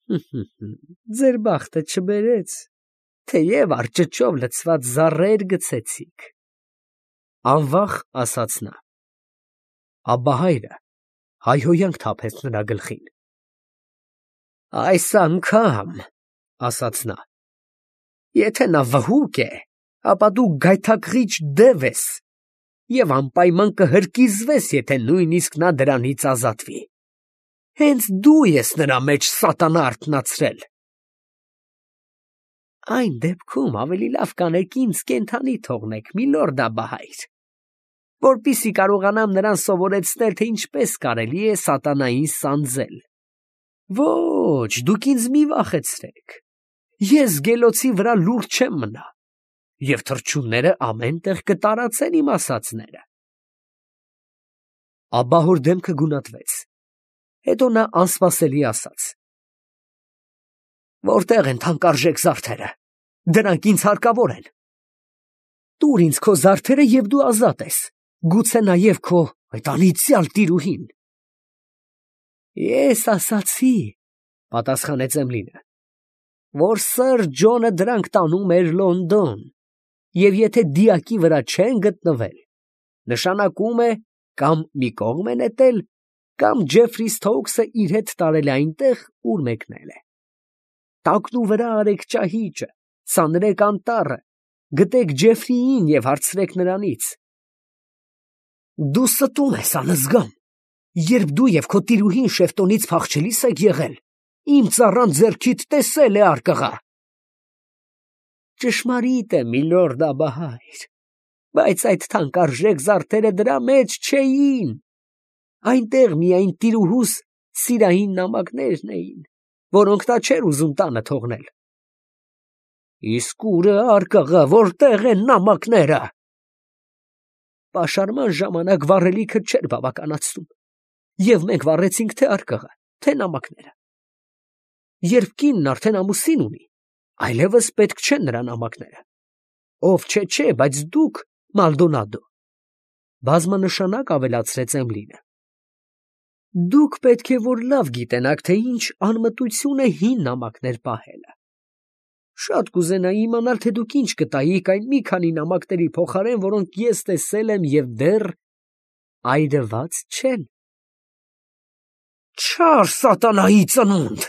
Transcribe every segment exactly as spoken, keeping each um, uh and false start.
Ձեր բախտը չբերեց, թեև արճճով լցված զառեր գցեցիք, անվախ ասաց նա։ Աբբահայրը հայհոյանք թափեց նրա գլխին։ Այս անգամ, ասաց նա, եթե նա վհուկ է, ապա դու գայթակղիչ դև ես և անպայման կհրկիզվես, եթե նույնիսկ նա դրանից ազատվի։ Հենց դու ես նրա մեջ սատանա արթնացրել։ Այն դեպքում ավելի լավ կանեք ինձ կենդանի թողնեք, միլորդ Աբբահայր, որպեսզի կարողանամ նրան սովորեցնել, թե ինչպես կարելի է սատանային սանձել։ Ոչ, դուք ինձ մի վախեցրեք, ես գելոցի վրա լուռ չեմ մնա, և թռչունները ամեն տեղ կտարածեն իմ ասածները։ Աբբահոր դեմքը գունատվեց, հետո նա անսպասելի ասաց. Որտե՞ղ են թանկարժեք զարդերը, դրանք ինձ հարկավոր են։ Տուր ինձ քո զարդերը և դու ազատ ես, գուցե նաև քո այդ անիծյալ տիրուհին։ Ես ասացի, պատասխանեց Էմլինը, որ սըր Ջոնը դրանք տանում էր Լոնդոն, և եթե դիակի վրա չեն գտնվել, նշանակում է կամ մի կողմ է նետել, կամ Ջեֆրի Սթոուքսը իր հետ տարել է այնտեղ, ուր մեկնել է։ Տակնուվրա արեք ճահիճը, ցանրեք անտառը, գտեք Ջեֆրիին և հարցրեք նրանից։ Դու ստում ես, անզգամ, երբ դու և քո տիրուհին Շեֆտոնից փախչելիս եք եղել, իմ ծառան ձեռքիդ տեսել է արկղա։ Ճշմարիտ է, միլորդ Աբբահայր, բայց այդ թանկարժեք զարդերը դրա մեջ չէին, այնտեղ միայն տիրուհուս սիրային նամակներն էին, որոնք նա չէր ուզում տանը թողնել։ Իսկ ո՞ւր է արկղը, որտեղ են նամակները։ Պաշարման ժամանակ վառելիքը չէր բավականացնում, և մենք վառեցինք թե արկղը, թե նամակները։ Երբ կինն արդեն ամուսին ունի, այլևս պետք չեն նրա նամակները։ Ով չէ, չէ, բայց դուք, Մալդոնադո, բազմանշանակ ավելացրեց Էմլինը, դուք պետք է որ լավ գիտենաք, թե ինչ անմտություն է հին նամակներ պահելը։ Շատ կուզենայի իմանալ, թե դուք ինչ կտայիք այն մի քանի նամակների փոխարեն, որոնք ես տեսել եմ և դեռ այրված չեն։ Չար սատանայի ծնունդ,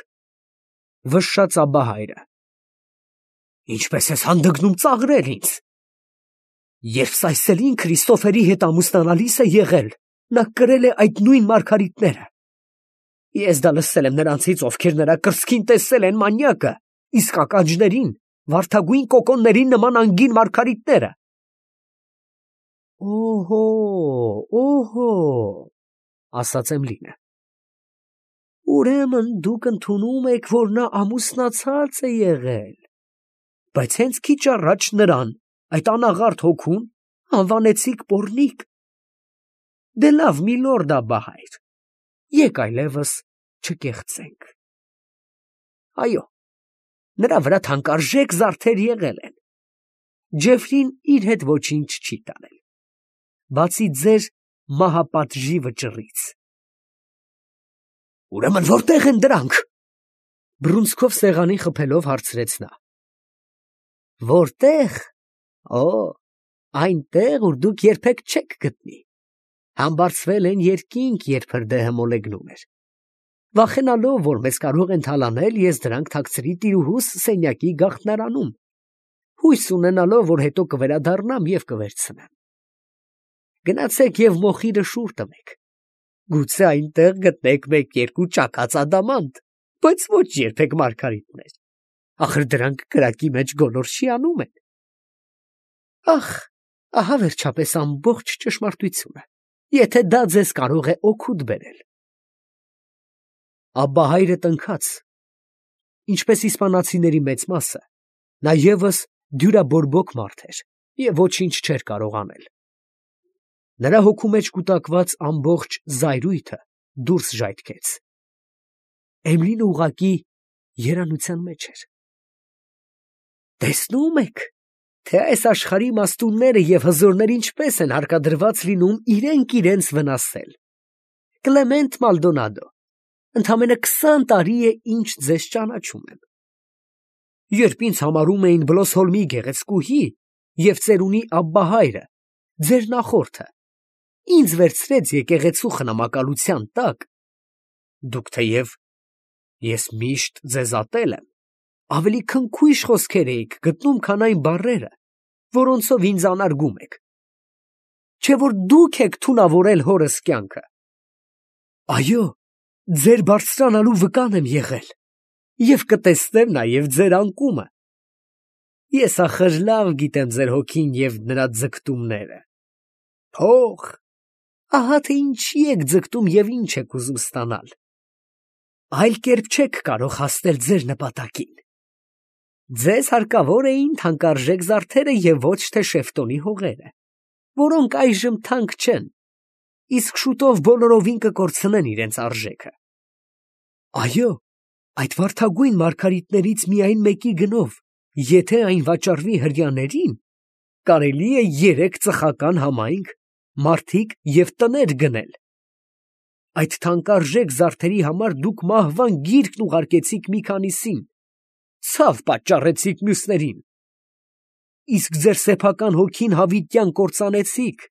վշշաց Աբբահայրը, ինչպես ես հանդգնում ծաղրել ինձ։ Երբ Սայսելին Քրիստոֆերի հետ ամուսնանալիս է եղել, նա կրել է այդ նույն մարգարիտները։ Ես դա լսել եմ նրանցից, ովքեր նրա կրծքին տեսել են մանյակը, իսկ ականջներին վարդագույն կոկոնների նման անգին մարգարիտները։ Օհո, օհո, ասաց Էմլինը։ Ուրեմն դուք ընդունում եք, որ նա ամուսնացած է եղել, բայց հենց քիչ առաջ նրան, այդ անաղարտ հոգուն, անվանեցիք պոռնիկ։ Դե լավ, միլորդ Աբբահայր, եկ այլևս չկեղծենք։ Այո, նրա վրա թանկարժեք զարդեր եղել են։ Ջեֆրին իր հետ ոչինչ չի տարել, բացի ձեր մահապատժի վճռից։ Ուրեմն որտե՞ղ են դրանք, բռունցքով սեղանին խփելով հարցրեց նա։ Որտե՞ղ, օ, այնտեղ, ուր դուք երբեք չեք գտնի, համբարձվել են երկինք, երբ հրդեհը մոլեգնում էր։ Վախենալով, որ մեզ կարող են թալանել, ես դրանք թաքցրի տիրուհուս սենյակի գաղտնարանում, հույս ունենալով, որ հետո կվերադառնամ և կվերցնեմ։ Գնացեք և մոխիրը շուռ տվեք, գուցե այնտեղ գտնեք մեկ֊երկու ճաքած ադամանտ, բայց ոչ երբեք մարգարիտներ, ախր դրանք կրակի մեջ գոլորշի անում են։ Ախ, ահա վերջապես ամբողջ ճշմարտությունը, եթե դա ձեզ կարող է օգուտ բերել։ Աբբահայրը տնքաց, ինչպես իսպանացիների մեծ մասը, նա ևս դյուրաբորբոք մարդ էր և ոչինչ չէր կարող անել։ Նրա հոգու մեջ կուտակված ամբողջ զայրույթը դուրս ժայթքեց։ Էմլինը ուղղակի երանության մեջ էր։ Տեսնում եք, թե այս աշխարհի մաստունները և հզորները ինչպես են հարկադրված լինում իրենք իրենց վնասել։ Կլեմենտ Մալդոնադո, Ընդամենը քսան տարի է ինչ ձեզ ճանաչում եմ։ Երբ ինձ համարում էին Բլոսհոլմի գեղեցկուհի և ծերունի Աբբահայրը, ձեր նախորդը, ինձ վերցրեց եկեղեցու խնամակալության տակ, դուք թեև ես միշտ ձեզ ատել եմ, ավելի քնքույշ խոսքեր էիք գտնում, քան այն բառերը, որոնցով ինձ անարգում եք, չէ՞ որ դուք եք թունավորել հորս կյանքը։ Այո, ձեր բարձրանալու վկան եմ եղել և կտեսնեմ նաև ձեր անկումը։ Ես ախր լավ գիտեմ ձեր հոգին և նրա ձգտումները։ Փող, ահա թե ինչի եք ձգտում և ինչ եք ուզում ստանալ։ Այլ կերպ չեք կարող հասնել ձեր նպատակին։ Ձեզ հարկավոր էին թանկարժեք զարդերը և ոչ թե Շեֆտոնի հողերը, որոնք այժմ թանկ չեն, իսկ շուտով բոլորովին կկորցնեն իրենց արժեքը։ Այո, այդ վարդագույն մարգարիտներից միայն մեկի գնով, եթե այն վաճառվի հրեաներին, կարելի է երեք ծխական համայնք, մարդիկ և տներ գնել։ Այդ թանկարժեք զարդերի համար դուք մահվան գիրկն ուղարկեցիք մի քանիսին, ցավ պատճառեցիք մյուսներին, իսկ ձեր սեփական հոգին հավիտյան կործանեցիք,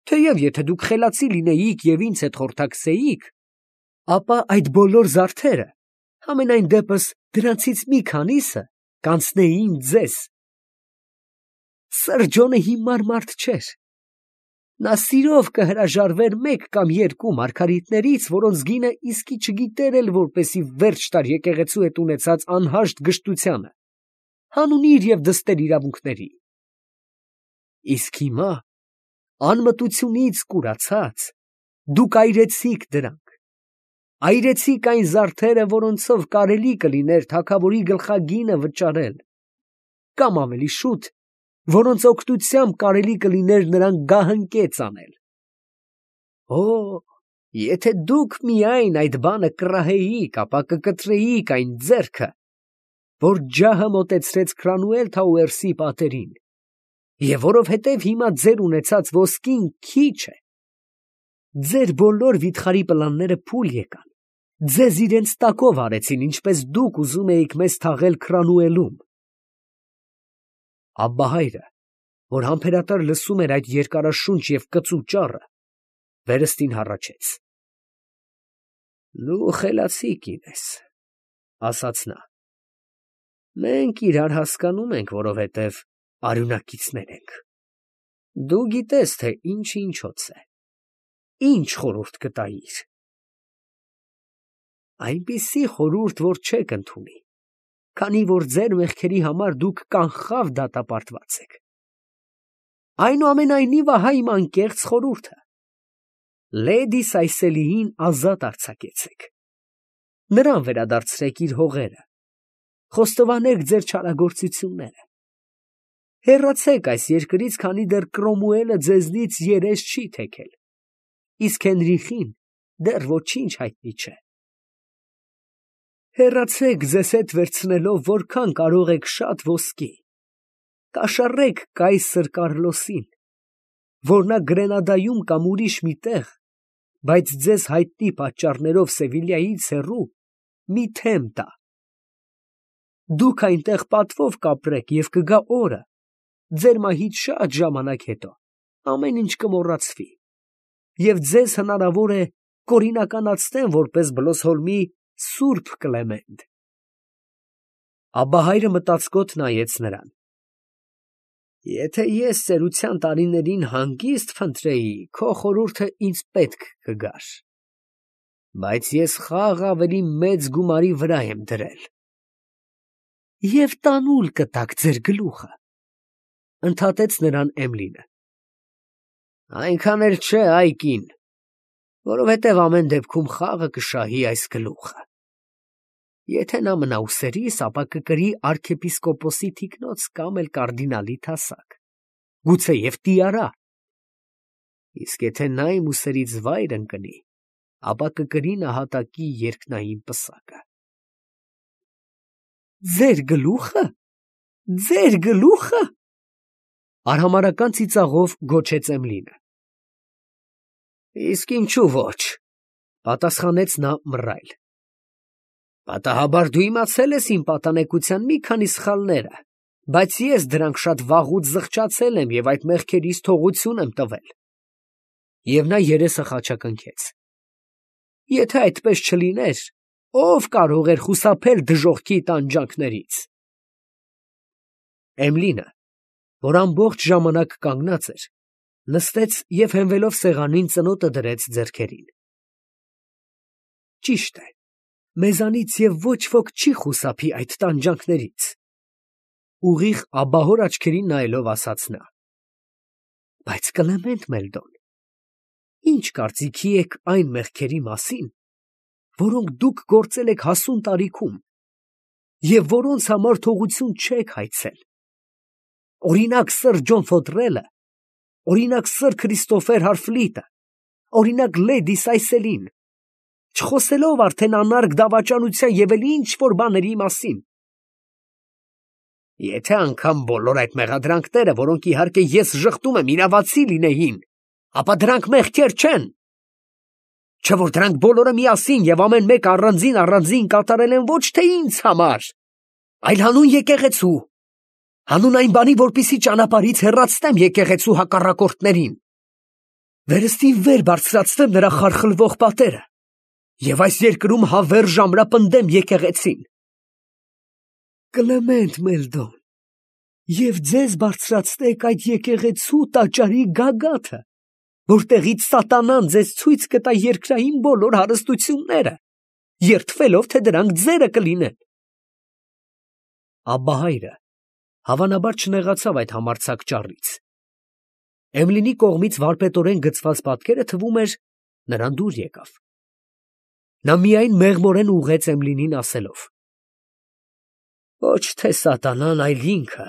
թեև եթե դուք խելացի լինեիք և ինձ հետ խորհրդակցեիք, ապա այդ բոլոր զարդերը, համենայն դեպս դրանցից մի քանիսը, կանցնեին ձեզ։ Սրջոնը հիմար մարդ չէր։ Նա սիրով կհրաժարվեր մեկ կամ երկու մարգարիտներից, որոնց գինը իսկի չգիտեր էլ, որպեսզի վերջ տար եկեղեցու հետ ունեցած անհաշտ գժտությանը, հանունիր և դստեր իրավունքների։ Իսկ հիմա, անմտությունից կուրացած, դուք այրեցիք դրանք, այրեցիք այն զարդերը, որոնցով կարելի կլիներ թագավորի գլխագինը վճարել, կամ ավելի շուտ, որոնց օգնությամբ կարելի կլիներ նրան գահընկեց անել։ Օ, եթե դուք միայն այդ բանը կռահեիք, ապա կկտրեիք այն ձեռքը, որ ջահը մոտեցրեց Քրանուել Թաուերսի պատերին, և որովհետև հիմա ձեր ունեցած ոսկին քիչ է, ձեր բոլոր վիթխարի պլանները փուլ եկան, ձեզ իրենց տակով արեցին, ինչպես դուք ուզում էիք մեզ թաղել Քրանուելում։ Աբբահայրը, որ համբերատար լսում էր այդ երկարաշունչ և կծու ճառը, վերստին հառաչեց։ Դու խելացի կին ես, ասաց նա։ Մենք իրար հասկանում ենք, որովհետև արյունակիցներ ենք։ Դու գիտես, թե ինչը ինչոց է, ինչ խորհուրդ կտայիր։ Այնպիսի խորհուրդ, որ չեք ընդունի, քանի որ ձեր մեղքերի համար դուք կանխավ դատապարտված եք։ Այնուամենայնիվ, ահա իմ անկեղծ խորհուրդը. Լեդի Սայսելիին ազատ արձակեցեք, նրան վերադարձրեք իր հողերը, խոստովանեք ձեր չարագործությունները, հեռացեք այս երկրից, քանի դեռ Կրոմուելը ձեզնից երես չի թեքել, իսկ Հենրիխին դեռ ոչինչ հայտնի չէ։ Հեռացեք ձեզ հետ վերցնելով որքան կարող եք շատ ոսկի, կաշառեք կայսր Կառլոսին, որ նա Գրենադայում կամ ուրիշ մի տեղ, բայց ձեզ հայտնի պատճառներով Սևիլյայից հեռու, մի թեմ տա։ Դուք այնտեղ պատվով կապրեք և կգա օրը, ձեր մահից շատ ժամանակ հետո, ամեն ինչ կմոռացվի, և ձեզ հնարավոր է կորինականացնեն որպես Բլոսհոլմի սուրբ Կլեմենտ։ Աբբահայրը մտածկոտ նայեց նրան։ Եթե ես ծերության տարիներին հանգիստ փնտրեի, քո խորհուրդը ինձ պետք կգար, բայց ես խաղ ավելի մեծ գումարի վրա եմ դրել։ Եվ տանուլ կտաք ձեր գլուխը, ընդհատեց նրան Էմլինը։ Այնքան էլ չէ, այ կին, որովհետև ամեն դեպքում խաղը կշահի այս գլուխը։ Եթե նա մնա ուսերիս, ապա կկրի արքեպիսկոպոսի թիկնոց կամ էլ կարդինալի թասակ, գուցեև տիարա, իսկ եթե նա իմ ուսերից վայր ընկնի, ապա կկրի նահատակի երկնային պսակը։ Ձեր գլուխը, ձեր գլուխը, արհամարհական ծիծաղով գոչեց Էմլինը։ Իսկ ինչու ոչ, Պատասխանեց նա մռայլ։ Պատահաբար դու իմացել ես իմ պատանեկության մի քանի սխալները, բայց ես դրանք շատ վաղուց զղջացել եմ և այդ մեղքերից թողություն եմ տվել։ Եվ նա երեսը խաչակնքեց։ Եթե այդպես չլիներ, ո՞վ կարող էր խուսափել դժոխքի տանջանքներից։ Էմլինը, որ ամբողջ ժամանակ կանգնած էր, նստեց և հենվելով սեղանին ծնոտը դրեց ձեռքերին։ Ճիշտ է, մեզանից և ոչ ոք չի խուսափի այդ տանջանքներից, ուղիղ աբահոր աչքերին նայելով ասաց նա։ Բայց Կլեմենտ Մելդոն, ի՞նչ կարծիքի եք այն մեղքերի մասին, որոնք դուք գործել եք հասուն տարիքում և որոնց համար թողություն չեք հայցել։ Օրինակ սըր Ջոն Ֆոթրելը, օրինակ սըր Քրիստոֆեր Հարֆլիտը, օրինակ լեդի Սայսելին, չխոսելով արդեն անարգ դավաճանության և էլ ինչ֊որ բաների մասին։ Եթե անգամ բոլոր այդ մեղադրանքները, որոնք իհարկե ես ժխտում եմ, իրավացի լինեին, ապա դրանք մեղքեր չեն։ Չէ՞ որ դրանք բոլորը միասին և ամեն մեկը առանձին֊առանձին կատարել են ոչ թե ինձ համար, այլ հանուն եկեղեցու, հանուն այն բանի, որպեսզի ճանապարհից հեռացնեմ եկեղեցու հակառակորդներին, վերստին վեր բարձրացնեմ նրա խարխլվող պատերը և այս երկրում հավերժ ամրապնդեմ եկեղեցին։ Կլեմենտ Մելդոն, և ձեզ բարձրացնեք այդ եկեղեցու տաճարի գագաթը, որտեղից սատանան ձեզ ցույց կտա երկրային բոլոր հարստությունները, երդվելով, թե դրանք ձերը կլինեն։ Աբբահայրը հավանաբար չնեղացավ այդ համարձակ ճառից։ Էմլինի կողմից վարպետորեն գծված պատկերը, թվում էր, նրան դուր եկավ։ Նա միայն մեղմորեն ուղղեց Էմլինին ասելով. Ոչ թե սատանան, այլ ինքը,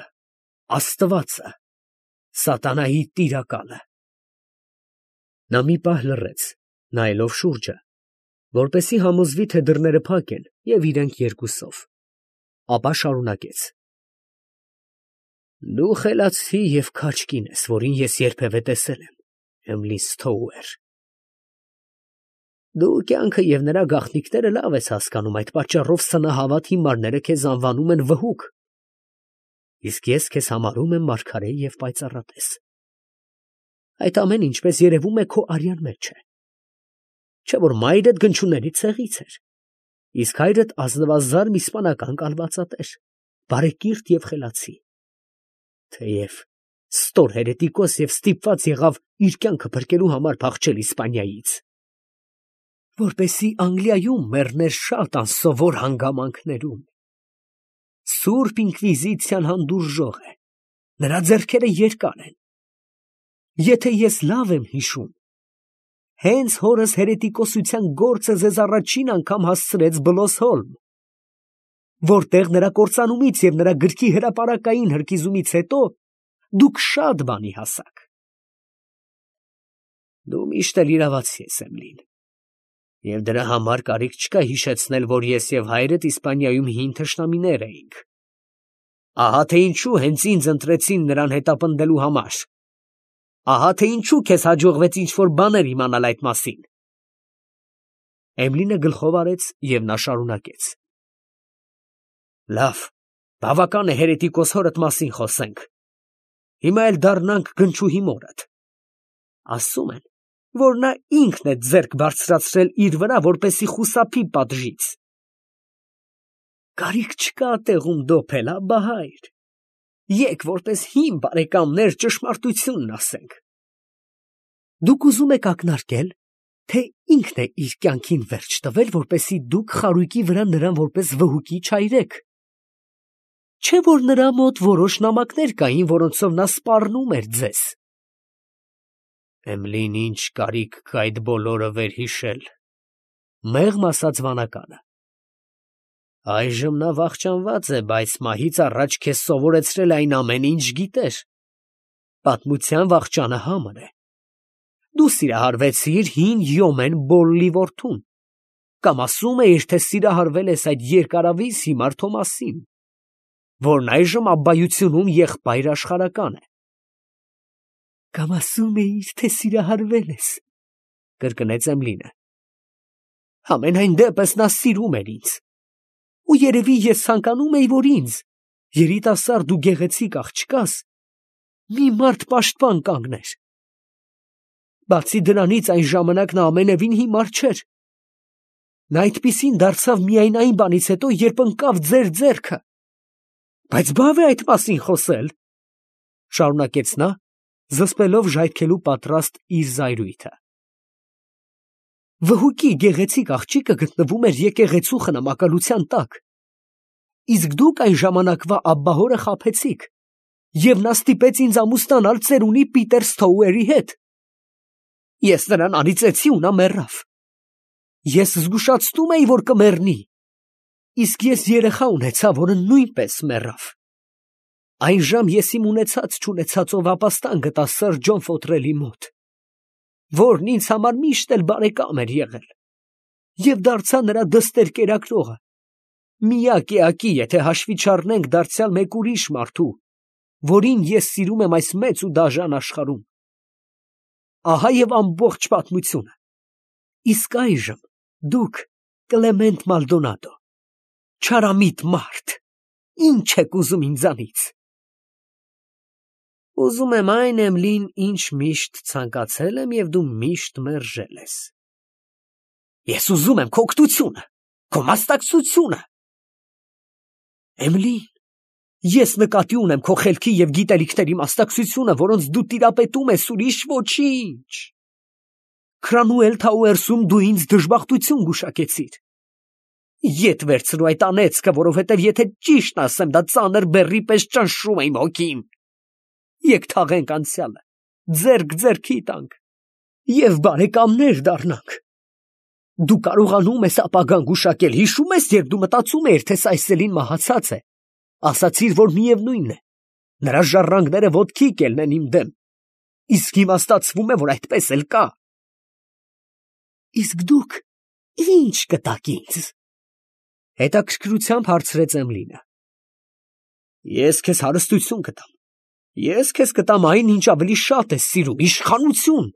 Աստվածը, սատանայի տիրակալը։ Նա մի պահ լռեց, նայելով շուրջը, որպեսզի համոզվի, թե դռները փակ են և իրենք երկուսով, ապա շարունակեց. Դու խելացի և քաջ կին ես, որին ես երբևէ տեսել եմ, Էմլի Սթոուեր։ Դու կյանքը և նրա գաղտնիքները լավ ես հասկանում, այդ պատճառով սնահավատ հիմարները քեզ անվանում են վհուկ, իսկ ես քեզ համարում եմ մարգարե և պայծառատես։ Այդ ամենը, ինչպես երևում է, քո արյան մեջ է։ Չէ՞ որ մայրդ գնչուների ցեղից էր, իսկ հայրդ ազնվազարմ իսպանական կալվածատեր, բարեկիրթ և խելացի, թեև ստոր հերետիկոս և ստիպված եղավ իր կյանքը փրկելու համար փախչել Իսպանիայից, որպեսզի Անգլիայում մեռներ շատ անսովոր հանգամանքներում։ Սուրբ ինկվիզիցիան հանդուրժող է, նրա ձեռքերը երկար են։ Եթե ես լավ եմ հիշում, հենց հորս հերետիկոսության գործը ձեզ առաջին անգամ հասցրեց Բլոսհոլմ, որտեղ նրա կործանումից և նրա գրքի հրապարակային հրկիզումից հետո դուք շատ բանի հասաք։ Դու միշտ էլ իրավացի ես, Էմլին, և դրա համար կարիք չկա հիշեցնել, որ ես և հայրդ Իսպանիայում հին թշնամիներ էինք։ Ահա թե ինչու հենց ինձ ընտրեցին նրան հետապնդելու համար։ Ահա թե ինչու քեզ հաջողվեց ինչ-որ բաներ իմանալ այդ մասին։ Էմլինը գլխով արեց և նա շարունակեց. Լավ, բավական է հերետիկոս հորդ մասին խոսենք։ Հիմա էլ դառնանք գնչուհի մորդ։ Ասում են, որ նա ինքն է ձեռք բարձրացրել իր վրա, որպեսզի խուսափի պատժից։ Կարիք չկա տեղում դոփել, Աբբահայր։ Եկ որպես հին բարեկամներ ճշմարտությունն ասենք։ Դուք ուզում եք ակնարկել, թե ինքն է իր կյանքին վերջ տվել, որպեսզի դուք խարույկի վրա նրան որպես վհուկի չայրեք։ Չէ՞ որ նրա մոտ որոշ նամակներ կային, որոնցով նա սպառնում էր ձեզ։ Էմլին, ինչ կարիք կա այդ բոլորը վերհիշել, մեղմ ասաց վանականը։ Այժմ նա վախճանված է, բայց մահից առաջ քեզ սովորեցրել այն ամենը, ինչ գիտեր։ Պատմության վախճանը համր է։ Դու սիրահարվեցիր հին Յոմեն Բոլլի որդուն, կամ ասում էիր, թե սիրահարվել ես այդ երկարավիզ հիմար Թոմասին, որն այժմ Աբբայությունում եղբայր աշխարհական է։ Կամ ասում էիր, թե սիրահարվել ես, կրկնեց Էմլինը։ Համենայն դեպս նա սիրում էր ինձ։ Ու երևի ես ցանկանում էի, որ ինձ, երիտասարդ ու գեղեցիկ աղջկաս, մի մարդ պաշտպան կանգներ։ Բացի դրանից այն ժամանակ նա ամենևին հիմար չէր։ Նա այդպիսին դարձավ միայն այն բանից հետո, երբ ընկավ ձեր ձեռքը։ Բայց բավ է այդ մասին խոսել, շարունակեց նա, զսպելով ժայթքելու պատրաստ իր զայրույթը։ Վհուկի գեղեցիկ աղջիկը գտնվում էր եկեղեցու խնամակալության տակ, իսկ դուք այն ժամանակվա աբբահորը խաբեցիք, և նա ստիպեց ինձ ամուսնանալ ծերունի Պիտեր Սթոուերի հետ։ Ես նրան անիծեցի ու նա մեռավ։ Ես զգուշացնում էի, որ կմեռնի, իսկ ես երեխա ունեցա, որը նույնպես մեռավ։ Այժմ ես իմ ունեցած-չունեցածով ապաստան գտա սըր Ջոն Ֆոթրելի մոտ, որն ինձ համար միշտ էլ բարեկամ էր եղել, և դարձա նրա դստեր կերակրողը, միակ էակի, եթե հաշվի չառնենք դարձյալ մեկ ուրիշ մարդու, որին ես սիրում եմ այս մեծ ու դաժան աշխարհում։ Ահա և ամբողջ պատմությունը։ Իսկ այժմ դուք, Կլեմենտ Մալդոնադո, չարամիտ մարդ, ի՞նչ եք ուզում ինձանից։ Ուզում եմ այն, Էմլին, ինչ միշտ ցանկացել եմ և դու միշտ մերժել ես։ Ես ուզում եմ քո օգնությունը, քո մասնակցությունը։ Էմլին, ես նկատի ունեմ քո խելքի և գիտելիքների մասնակցությունը, որոնց դու տիրապետում ես, ուրիշ ոչինչ։ Քրանուել Թաուերսում դու ինձ դժբախտություն գուշակեցիր։ Ետ վերցրու այդ անեծքը, որովհետև եթե ճիշտն ասեմ, դա ծանր բեռի պես ճնշում է իմ հոգին։ Եկ թաղենք անցյալը, ձեռք ձեռքի տանք և բարեկամներ դառնանք։ Դու կարողանում ես ապագան գուշակել, հիշո՞ւմ ես, երբ դու մտածում էիր, թե Սայսելին մահացած է, ասացիր, որ միևնույն է, նրա ժառանգները ոտքի կելնեն իմ դեմ, իսկ հիմա ստացվում է, որ այդպես էլ կա։ Իսկ դուք ի՞նչ կտաք ինձ։ Հետաքրքրությամբ հարցրեց Էմլինը։ Ես քեզ հարստություն կտամ։ Ես քեզ կտամ այն, ինչ ավելի շատ ես սիրում, իշխանություն,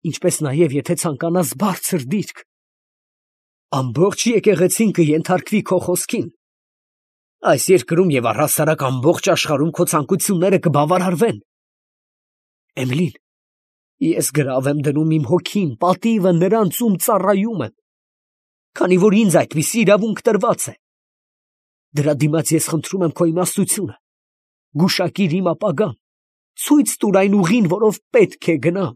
ինչպես նաև եթե ցանկանաս բարձր դիրք։ Ամբողջ եկեղեցին կենթարկվի քո խոսքին։ Այս երկրում և առհասարակ ամբողջ աշխարհում քո ցանկությունները կբավարարվեն։ Էմլին, ես գրավ եմ դնում իմ հոգին, պատիվը նրանց, ում ծառայում եմ, քանի որ ինձ այդպիսի իրավունք տրված է։ Դրա դիմաց ես խնդրում եմ քո իմաստությունը, գուշակիր իմ ապագան, ցույց տուր այն ուղին, որով պետք է գնամ։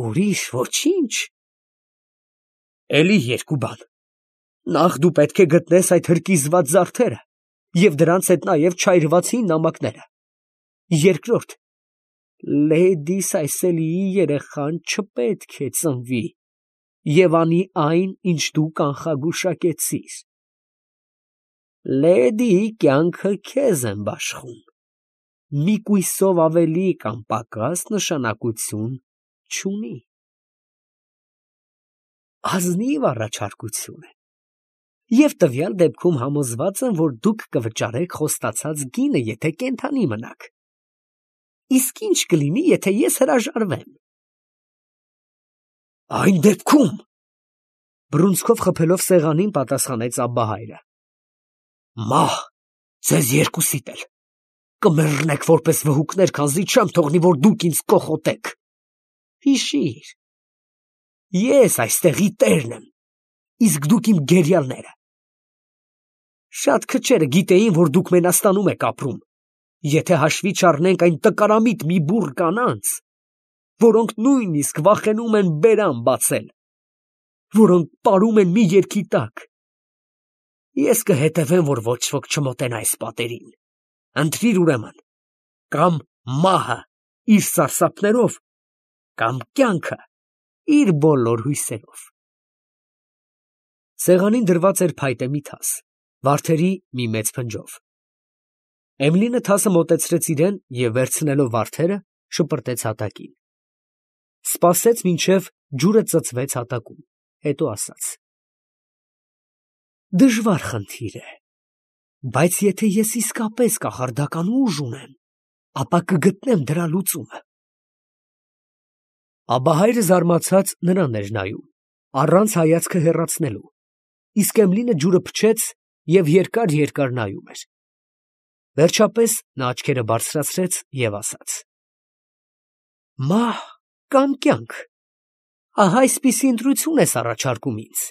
Ուրիշ ոչինչ։ Էլի երկու բան. նախ դու պետք է գտնես այդ հրկիզված զարդերը և դրանց հետ նաև չայրված հին նամակները։ Երկրորդ, լեդի Սայսելիի երեխան չպետք է ծնվի և անի այն, ինչ դու կանխագուշակեցիր։ Լեդիի կյանքը քեզ եմ բաշխում, մի կույսով ավելի կամ պակաս նշանակություն չունի։ Ազնիվ առաջարկություն է, և տվյալ դեպքում համոզված եմ, որ դուք կվճարեք խոստացած գինը, եթե կենդանի մնաք։ Իսկ ինչ կլինի, եթե ես հրաժարվեմ։ Այն դեպքում, բռունցքով խփելով սեղանին, պատասխանեց Աբբահայրը, մահ ձեզ երկուսիդ էլ, կմեռնեք որպես վհուկներ, քանզի չեմ թողնի, որ դուք ինձ կոխոտեք։ Հիշիր, ես այստեղի տերն եմ, իսկ դուք իմ գերիալները։ Շատ քչերը գիտեին, որ դուք Մենաստանում եք ապրում, եթե հաշվի չառնենք այն տկարամիտ մի բուռ կանանց, որոնք նույնիսկ վախենում են բերան բացել, որոնք պարում են մի երգի տակ։ Ես կհետևեմ, որ ոչ ոք չմոտենա այս պատերին։ Ընտրիր ուրեմն, կամ մահը իր սարսափներով, կամ կյանքը իր բոլոր հույսերով։ Սեղանին դրված էր փայտե մի թաս, վարդերի մի մեծ փնջով։ Էմլինը թասը մոտեցրեց իրեն և վերցնելով վարդերը, շպրտեց հատակին։ Սպասեց, մինչև ջուրը ծծվեց հատակում, հետո ասաց. Դժվար խնդիր է, բայց եթե ես իսկապես կախարդական ուժ ունեմ, ապա կգտնեմ դրա լուծումը։ Աբբահայրը զարմացած նրան էր նայում։ առանց հայացքը հեռացնելու, իսկ Էմլինը ջուրը փչեց և երկար֊երկար նայում էր։ Վերջապես նա աչքերը բարձրացրեց և ասաց. «Մահ կամ կյանք, ահա այսպիսի ընտրություն ես առաջարկում ինձ,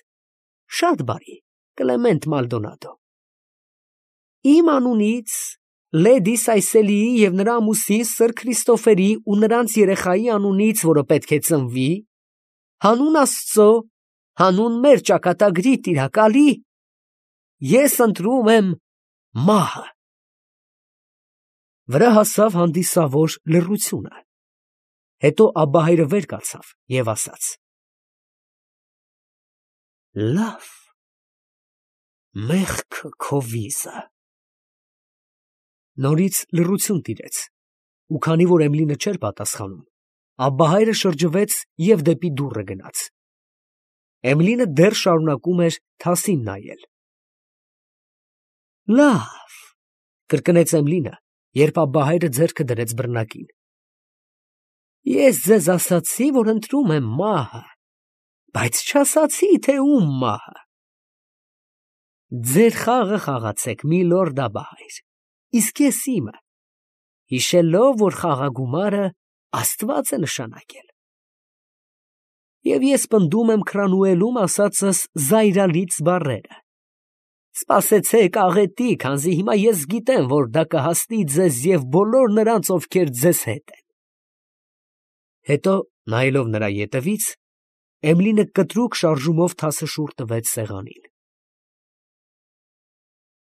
շատ բարի, Կլեմենտ Մալդոնադո։ Իմ անունից, լեդի Սայսելիի և նրա ամուսին սըր Քրիստոֆերի ու նրանց երեխայի անունից, որը պետք է ծնվի, հանուն Աստծո, հանուն մեր ճակատագրի տիրակալի, ես ընտրում եմ մահը»։ Վրա հասավ հանդիսավոր լռությունը, հետո Աբբահայրը վեր կացավ և ասաց. «Լավ, մեղքը քո վիզը»։ Նորից լռություն տիրեց, ու քանի որ Էմլինը չէր պատասխանում, Աբբահայրը շրջվեց և դեպի դուռը գնաց։ Էմլինը դեռ շարունակում էր թասին նայել։ «Լավ», կրկնեց Էմլինը, երբ Աբբահայրը ձեռքը դրեց բռնակին, «ես ձեզ ասացի, որ ընտրում եմ մահը, բայց չասացի, թե ում մահը։ Ձեր խաղը խաղացեք, միլորդ Աբբահայր, իսկ ես իմը, հիշելով, որ խաղագումարը Աստված է նշանակել։ Եվ ես պնդում եմ Քրանուելում ասածս զայրալից բառերը. սպասեցեք աղետի, քանզի հիմա ես գիտեմ, որ դա կհասնի ձեզ և բոլոր նրանց, ովքեր ձեզ հետ են»։ Հետո, նայելով նրա ետևից, Էմլինը կտրուկ շարժումով թասը շուռ տվեց սեղանին։